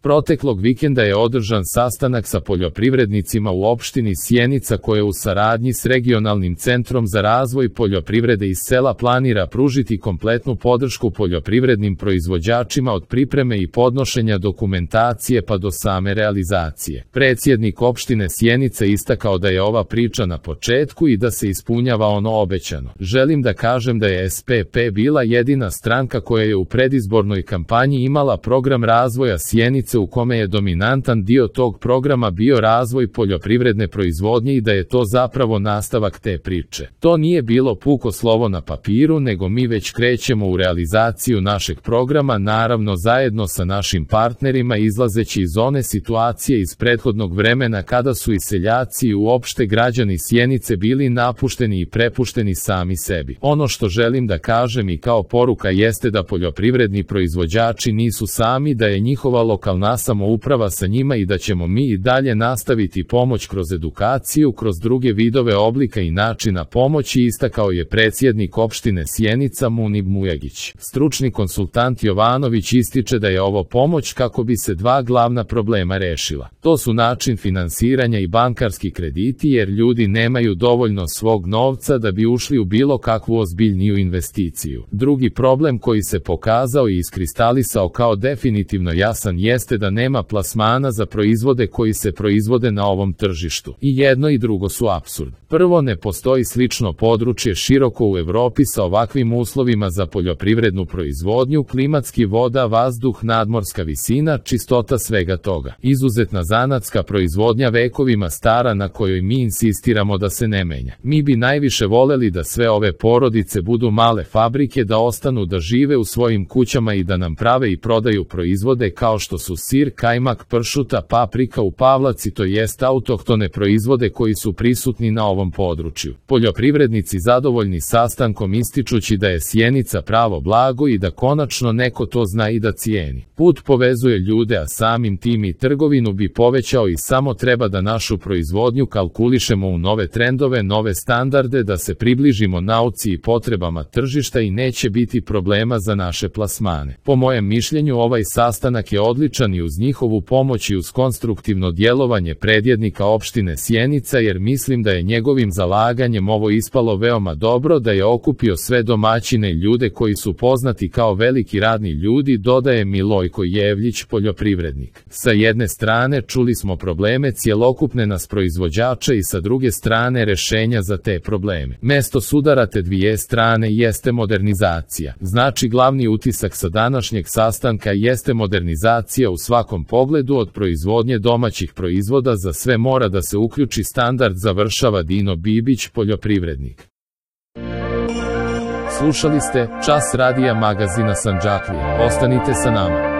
Proteklog vikenda je održan sastanak sa poljoprivrednicima u opštini Sjenica koje u saradnji s Regionalnim centrom za razvoj poljoprivrede iz sela planira pružiti kompletnu podršku poljoprivrednim proizvođačima od pripreme i podnošenja dokumentacije pa do same realizacije. Predsjednik opštine Sjenica istakao da je ova priča na početku i da se ispunjava ono obećano. Želim da kažem da je SPP bila jedina stranka koja je u predizbornoj kampanji imala program razvoja Sjenice u kome je dominantan dio tog programa bio razvoj poljoprivredne proizvodnje i da je to zapravo nastavak te priče. To nije bilo puko slovo na papiru, nego mi već krećemo u realizaciju našeg programa, naravno zajedno sa našim partnerima izlazeći iz one situacije iz prethodnog vremena kada su i seljaci i uopšte građani Sjenice bili napušteni i prepušteni sami sebi. Ono što želim da kažem i kao poruka jeste da poljoprivredni proizvođači nisu sami, da je njihova lokalna samouprava sa njima i da ćemo mi i dalje nastaviti pomoć kroz edukaciju, kroz druge vidove oblika i načina pomoći, istakao je predsjednik opštine Sjenica Munib Mujagić. Stručni konsultant Jovanović ističe da je ovo pomoć kako bi se dva glavna problema rešila. To su način finansiranja i bankarski krediti, jer ljudi nemaju dovoljno svog novca da bi ušli u bilo kakvu ozbiljniju investiciju. Drugi problem koji se pokazao i iskristalisao kao definitivno jasan jeste da nema plasmana za proizvode koji se proizvode na ovom tržištu. I jedno i drugo su apsurd. Prvo, ne postoji slično područje široko u Evropi sa ovakvim uslovima za poljoprivrednu proizvodnju, klimatski, voda, vazduh, nadmorska visina, čistota svega toga. Izuzetna zanatska proizvodnja vekovima stara na kojoj mi insistiramo da se ne menja. Mi bi najviše voleli da sve ove porodice budu male fabrike, da ostanu da žive u svojim kućama i da nam prave i prodaju proizvode kao što su sir, kajmak, pršuta, paprika u Pavlaci, to jest autohtone proizvode koji su prisutni na ovom području. Poljoprivrednici zadovoljni sastankom ističući da je Sjenica pravo blago i da konačno neko to zna i da cijeni. Put povezuje ljude, a samim tim i trgovinu bi povećao i samo treba da našu proizvodnju kalkulišemo u nove trendove, nove standarde, da se približimo nauci i potrebama tržišta i neće biti problema za naše plasmane. Po mojem mišljenju ovaj sastanak je odličan i uz njihovu pomoć i uz konstruktivno djelovanje predsjednika opštine Sjenica, jer mislim da je njegovim zalaganjem ovo ispalo veoma dobro, da je okupio sve domaćine i ljude koji su poznati kao veliki radni ljudi, dodaje Milojko Jevljić, poljoprivrednik. Sa jedne strane čuli smo probleme cjelokupne nas proizvođača i sa druge strane rešenja za te probleme. Mesto sudara te dvije strane jeste modernizacija. Znači glavni utisak sa današnjeg sastanka jeste modernizacija u svakom pogledu, od proizvodnje domaćih proizvoda za sve mora da se uključi standard, završava Dino Bibić, poljoprivrednik. Slušali ste Čas radija magazina Sandžaklija. Ostanite sa nama.